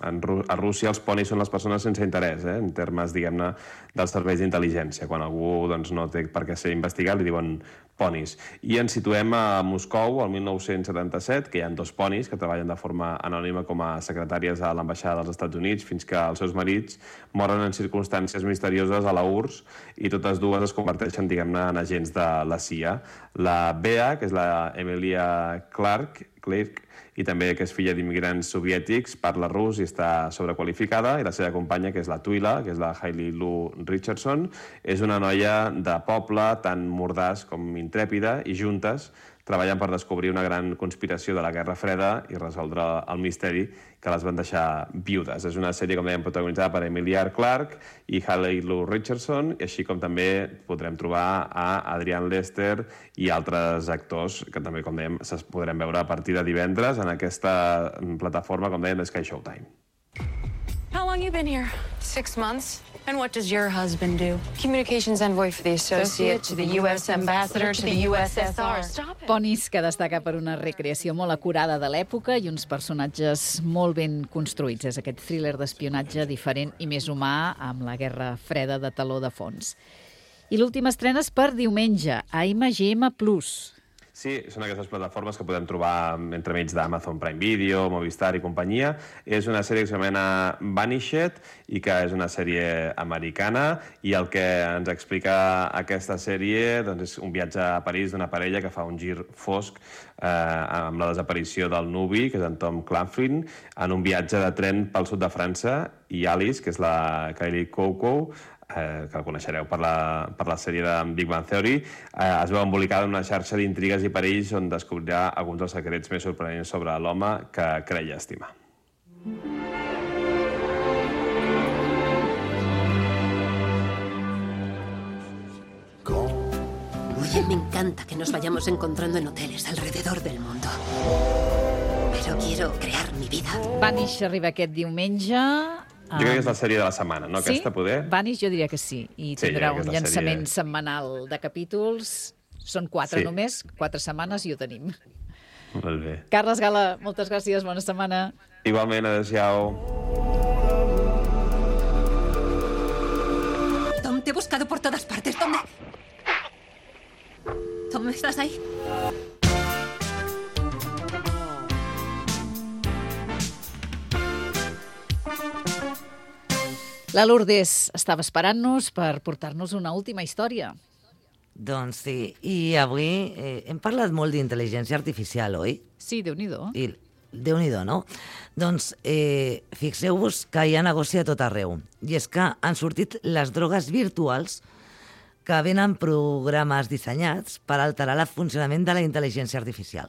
a Rússia els ponis són les persones sense interès, en termes, diguem-ne, dels serveis d'intel·ligència. Quan algú no té per què ser investigat, li diuen ponis. I ens situem a Moscou, al 1977, que hi ha 2 ponis que treballen de forma anònima com a secretàries a l'ambaixada dels Estats Units fins que els seus marits moren en circumstàncies misterioses a la URSS i totes dues es converteixen, diguem-ne, en agents de la CIA. La Bea, que és la Emilia Clarke, i també que és filla d'immigrants soviètics, parla rus i està sobrequalificada, i la seva companya, que és la Twila, que és la Hailey Lou Richardson, és una noia de poble tan mordaç com intrèpida, i juntes treballen per descobrir una gran conspiració de la Guerra Freda i resoldre el misteri que les van deixar viudes. És una sèrie, com dèiem, protagonitzada per Emilia Clarke i Hailey Lou Richardson, i així com també podrem trobar a Adrian Lester i altres actors que també, com dèiem, es podrem veure a partir de divendres en aquesta plataforma, com dèiem, de Sky Showtime. How long you been here? 6 months. And what does your husband do? Communications envoy for the Associate, to the U.S. Ambassador, to the USSR. Stop it. Ponies, que destaca per una recreació molt acurada de l'època i uns personatges molt ben construïts. És aquest thriller d'espionatge diferent i més humà amb la Guerra Freda de taló de fons. I l'última estrena és per diumenge, a IMAGM+. Sí, són aquestes plataformes que podem trobar entremig d'Amazon Prime Video, Movistar i companyia. És una sèrie que s'anomena Vanished i que és una sèrie americana, i el que ens explica aquesta sèrie és un viatge a París d'una parella que fa un gir fosc amb la desaparició del nuvi, que és en Tom Claflin, en un viatge de tren pel sud de França, i Alice, que és la Kylie Cuoco, que la coneixereu per la sèrie de Big Bang Theory, es veu embolicada en una xarxa d'intrigues i perills on descobrirà alguns dels secrets més sorprenents sobre l'home que creia estimar. Me encanta que nos vayamos encontrando en hoteles alrededor del mundo. Pero quiero crear mi vida. Vanish arriba aquest diumenge. Jo crec que és la sèrie de la setmana, no? Sí? Aquesta, poder? Vanish jo diria que sí. I tindrà un llançament setmanal de capítols. Són 4 només, 4 setmanes i ho tenim. Molt bé. Carles Gala, moltes gràcies, bona setmana. Igualment, adéu-siau. Tom, te he buscado por todas partes. ¿Dónde? Tom, ¿estás ahí? La Lourdes estava esperant-nos per portar-nos una última història. Doncs sí, i avui hem parlat molt d'intel·ligència artificial, oi? Sí, Déu-n'hi-do. Déu-n'hi-do, no? Doncs fixeu-vos que hi ha negoci a tot arreu. I és que han sortit les drogues virtuals que venen programes dissenyats per alterar el funcionament de la intel·ligència artificial.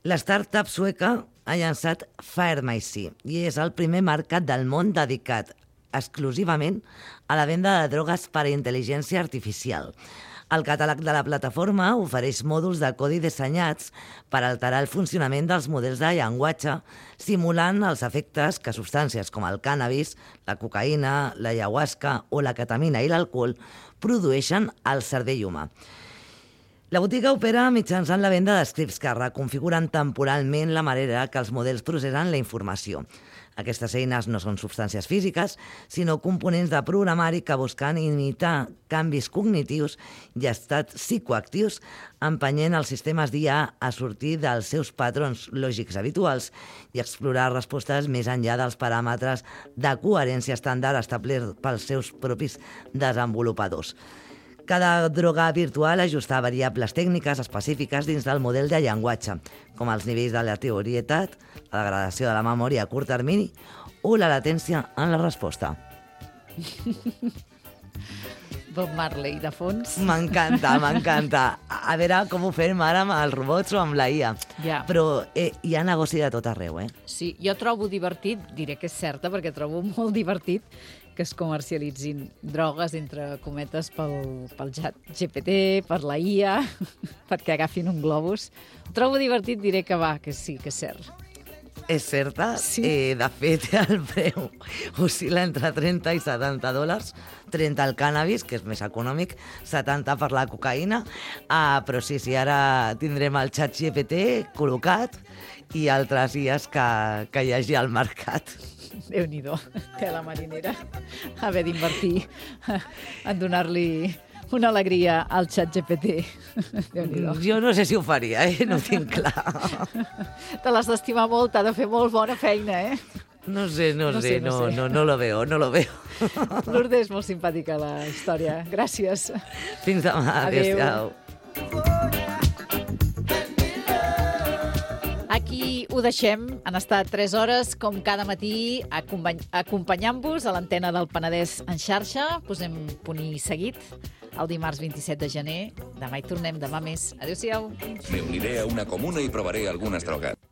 La startup sueca ha llançat Pharmacy i és el primer mercat del món dedicat exclusivament a la venda de drogues per a intel·ligència artificial. El catàleg de la plataforma ofereix mòduls de codi dissenyats per alterar el funcionament dels models de llenguatge, simulant els efectes que substàncies com el cànnabis, la cocaïna, la ayahuasca o la ketamina i l'alcohol produeixen al cervell humà. La botiga opera mitjançant la venda d'escripts que reconfiguren temporalment la manera que els models processen la informació. Aquestes eines no són substàncies físiques, sinó components de programari que busquen imitar canvis cognitius i estats psicoactius, empenyent els sistemes d'IA a sortir dels seus patrons lògics habituals i explorar respostes més enllà dels paràmetres de coherència estàndard establerts pels seus propis desenvolupadors. Cada droga virtual ajusta variables tècniques específiques dins del model de llenguatge, com els nivells de aleatorietat, la degradació de la memòria a curt termini o la latència en la resposta. Bob Marley, de fons. M'encanta, m'encanta. A veure com ho fem ara amb els robots o amb la IA. Ja. Però hi ha negoci de tot arreu, eh? Sí, jo trobo divertit, diré que és certa, perquè trobo molt divertit que es comercialitzin drogues, entre cometes, pel xat GPT, per la IA, perquè agafin un globus. Ho trobo divertit, diré que va, que sí, que és cert. És certa? Sí. De fet, el preu oscil·la entre $30 i $70. 30 el cànnabis, que és més econòmic, 70 per la cocaïna, però sí, ara tindrem el xat GPT col·locat i altres IAs que hi hagi al mercat. Déu-n'hi-do, tela marinera. Haver d'invertir en donar-li una alegria al xat GPT. Déu-n'hi-do. Jo no sé si ho faria, no ho tinc clar. Te l'has d'estimar molt, t'ha de fer molt bona feina, No sé, no lo veo. Lourdes, molt simpàtica la història. Gràcies. Fins demà. Adéu. Aquí ho deixem. Han estat 3 hores, com cada matí, acompanyant-vos a l'antena del Penedès en xarxa. Posem punt i seguit el dimarts 27 de gener. Demà hi tornem, demà més. Adéu-siau. Me uniré a una comuna y probaré algunas drogas.